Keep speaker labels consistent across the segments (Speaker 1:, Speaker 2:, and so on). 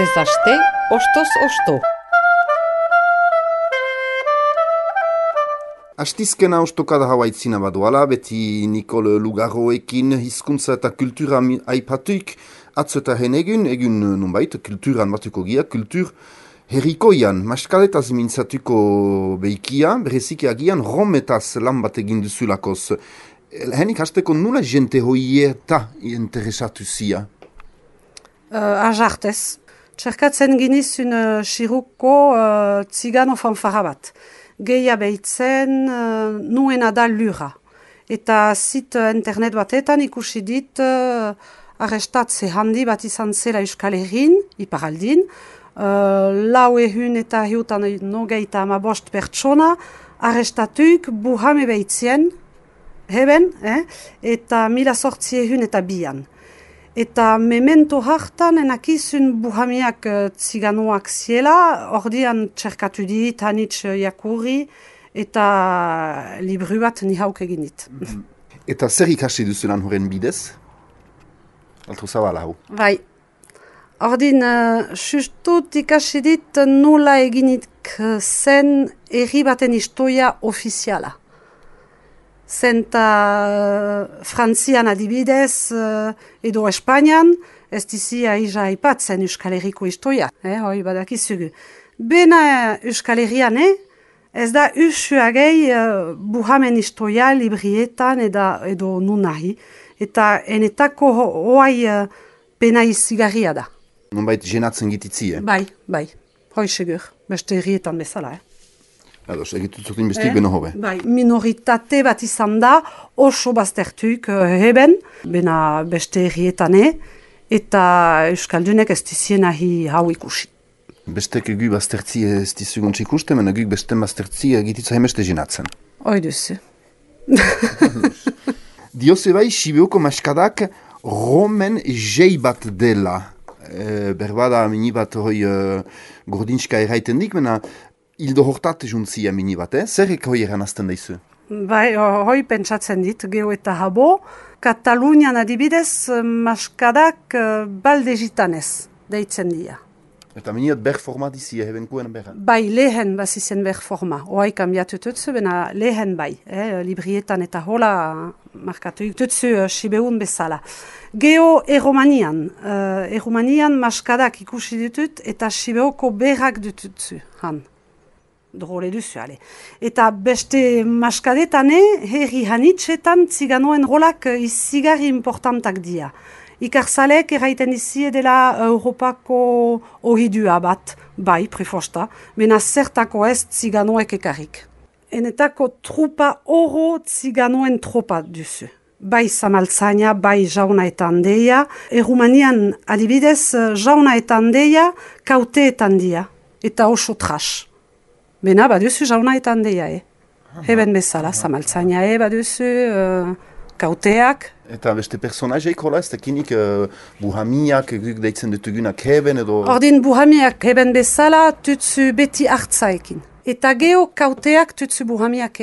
Speaker 1: Astez aste, ostoz osto.
Speaker 2: Astizkena ostokada hawaitzina baduala, beti Nikol Lugarroekin hizkuntza eta kultura aipatuik, atzo eta egun nunbait, kulturan batuko gia, kultur herrikoian, maskaletaz mintzatuko behikia, bereziki agian rometaz lan bat egin duzulakoz. Henik hasteko nula jente hoieta interesatu zia?
Speaker 3: Ajartez. Txerkatzen ginizun Xiruko tzigano fanfara bat. Geia behitzen nuena da lura. Eta zit internet batetan ikusi dit arrestatze handi bat izan zela Euskal Herrin, iparaldin. Lau ehun eta hiutan nogeita amabost pertsona arrestatuik buhame behitzien, heben, eta 1800 eta bian. Eta memento hartan enakizun buhamiak tziganoak ziela, ordian txerkatu dit, hanitz jakurri, eta libru bat nihauk egin dit.
Speaker 2: Eta zer ikasi duzulan horren bidez? Altro zabala hau.
Speaker 3: Bai. Ordin, justut ikasi dit nola eginik zen herri baten historia ofiziala. Zenta Frantzian adibidez edo Espainian, ez dizia ija aipatzen Euskal Herriko historia, hoi badakizugu. Bena Euskal Herrian, ez da usuagei buhamen historia librietan edo nunahi, eta enetako hoai pena izigarria da.
Speaker 2: Nonbait jenatzen gititzi,
Speaker 3: Bai, hoi segur, beste herrietan bezala,
Speaker 2: Ados, egituzutin bestik beno hobe.
Speaker 3: Bai, minoritate bat izan da, oso baztertuik heben, bena beste herrietane, eta Euskaldunek ez dizien ahi hau ikusi.
Speaker 2: Bestek egu baztertzi ez dizuguntz ikusten, mena egu beste baztertzi egititza hemeste jenatzen.
Speaker 3: Hoi duzu.
Speaker 2: Dioze bai, Sibioko maskadak romen jei bat dela. Berbada mini bat hoi gordinska erraiten dik, mena hildo hortat juntzia mini bat, Zerrek hoi eranazten daizu?
Speaker 3: Bai, hoi pentsatzen dit, geho eta habo. Katalunian adibidez, maskadak balde gitanez, deitzen dira.
Speaker 2: Eta miniat ber forma dizia, hebenkuen berra?
Speaker 3: Bai, lehen bazizen ber forma. Hoai kambiatu tutsu, bena lehen bai. Librietan eta hola markatu tutsu Sibeun bezala. Geho eromanian. Eromanian maskadak ikusi ditut eta Sibeoko berrak ditutsu, han. Drole duzu, ale. Eta beste maskadetane, herri hanitzetan tziganoen rolak izigarri importantak dira. Ikarzalek erraiten dizie dela Europako ohidua bat, bai, prefosta, mena zertako ez tziganoek ekarrik. Enetako trupa oro tziganoen tropa duzu. Bai zamaltzaina, bai jauna eta handeia. Erumanian adibidez, jauna eta handeia kauteetan dira, eta oso trash. Bena, baduzu jauna eta handeia, Heben bezala, zamaltzaina, baduzu kauteak.
Speaker 2: Eta beste personajeik hola, ez tekinik buhamiak deitzen dutugunak heben edo...
Speaker 3: Ordin buhamiak heben bezala, tutsu beti hartzaekin. Eta geho kauteak tutsu buhamiak,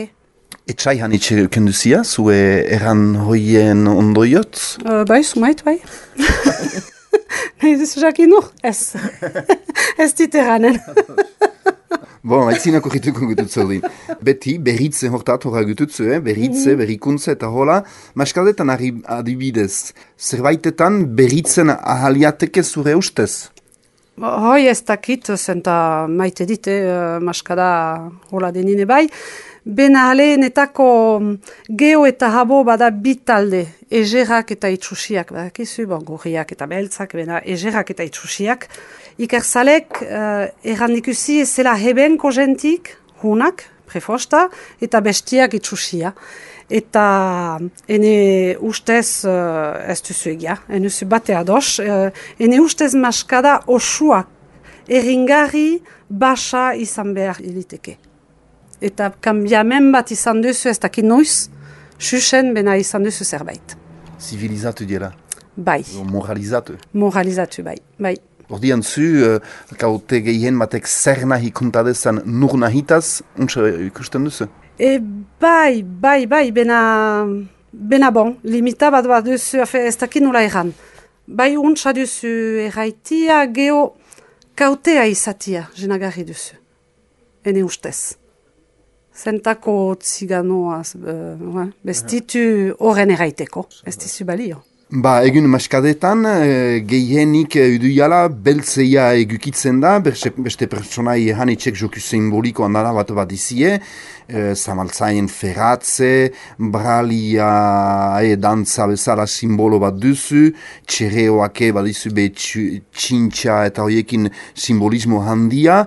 Speaker 2: Etxai hanitxe kenduzia, zue erran hoien ondoiot?
Speaker 3: Bai, sumait, bai. Nahi duzu jakin ez. Ez dit erranen.
Speaker 2: Bon, haitzinako jituko gututzu din. Beti, berritze hortat horra gututzu, berritze, berrikuntze eta hola. Maskadetan adibidez, zerbaitetan berritzen ahaliateke zure ustez?
Speaker 3: Hoi ez dakit, zenta maite dite, maskada hola denine bai. Bena netako geho eta habo bada bitalde, egerak eta itxusiak, badakizu, gorriak eta beltzak, bena egerak eta itxusiak. Ikerzalek errandikusi ezela hebenko jentik, hunak, prefosta, eta bestiak itxusia. Eta ene ustez, ez duzu egia, ene zu bate ados, ene ustez maskada osuak erringarri basa izan behar iliteke. Eta kambiamen bat izan duzu ez dakit noiz, xuxen bena izan duzu zerbait.
Speaker 2: Zivilizatu dira?
Speaker 3: Bai.
Speaker 2: Moralizatu?
Speaker 3: Moralizatu, bai.
Speaker 2: Ordian zu, kaute gehien batek zer nahi kontadezan nur nahitaz, untsa ikusten duzu?
Speaker 3: Bai, bena bon, limita bat duzu, ez dakit nola erran. Bai untsa duzu erraitia, geho kautea izatia jenagarri duzu. Ene ustez. Zentako ziganoa bestitu horren eraiteko. Ez dizu balio.
Speaker 2: Ba, egun maskadetan, gehienik uduiala beltzeia egukitzen da, beste personai hanitxek joku simboliko handara bat izie, zamaltzaien ferratze, bralia dantza bezala simbolo bat duzu, txereoake badizu be txintxa eta horiekin simbolismo handia,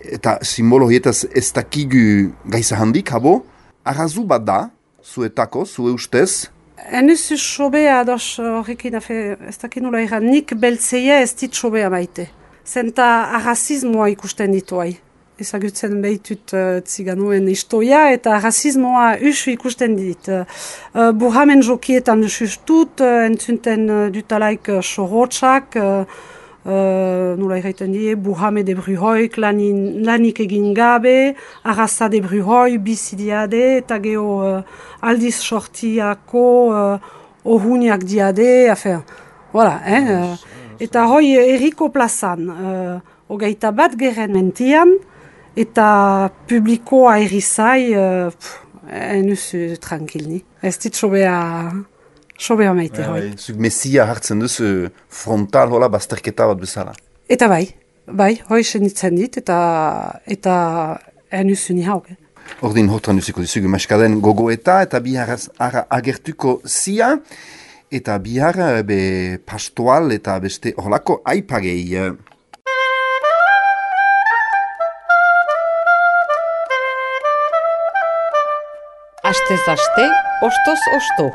Speaker 2: eta simbolo horietaz ez dakigu gaiza handik, habo, arrazu bat da, zuetako, zue ustez.
Speaker 3: Enuzu sobea ados horrekin, ez dakit nula egan, nik beltzeia ez dit sobea maite. Zenta arrazismoa ikusten dituai. Ezagutzen behitut ziganoen istoia eta arrazismoa usu ikusten dit. Burhamen jokietan dusustut, entzunten dutalaik sorotxak, nula erraiten die, burhame de bruhoik lanik egin gabe, arraza de bruhoi bizidiade, eta geho aldiz sortiako ohuniak diade, voilà, eta hoi erriko plazan, hogeita bat geren mentian, eta publikoa errizai, enuzu tranquilni. Ez dit sobea maite hoi.
Speaker 2: Zuk mesia hartzen duzu frontal hola bazterketa bat bezala.
Speaker 3: Eta bai, hoi senitzen dit, eta enuzu ni hauk.
Speaker 2: Ordin hortan duziko dizugu maskaden gogoeta eta bihar agertuko zia, eta bihar pastoal eta beste horlako aipagei.
Speaker 1: Astez aste, ostoz osto.